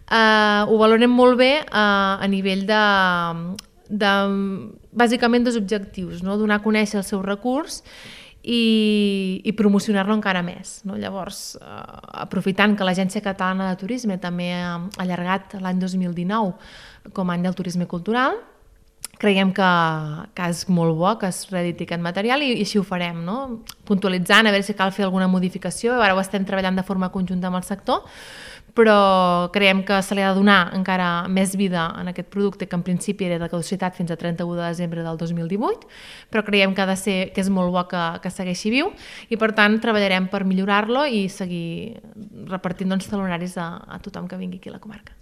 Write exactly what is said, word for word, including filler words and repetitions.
eh, ho valorem molt bé eh, a nivell de, de bàsicament dos objectius, no? Donar a conèixer el seu recurs i, i promocionar-lo encara més, no? Llavors, eh, aprofitant que l'Agència Catalana de Turisme també ha allargat l'any dos mil dinou com a any del turisme cultural, creiem que, que és molt bo que es reediti aquest material i, i així ho farem, no? Puntualitzant, a veure si cal fer alguna modificació, ara ho estem treballant de forma conjunta amb el sector, però creiem que se li ha de donar encara més vida en aquest producte que en principi era de caducitat fins a trenta-u de desembre del dos mil divuit, però creiem que ha de ser, que és molt bo que, que segueixi viu i per tant treballarem per millorar-lo i seguir repartint doncs, talonaris a, a tothom que vingui aquí a la comarca.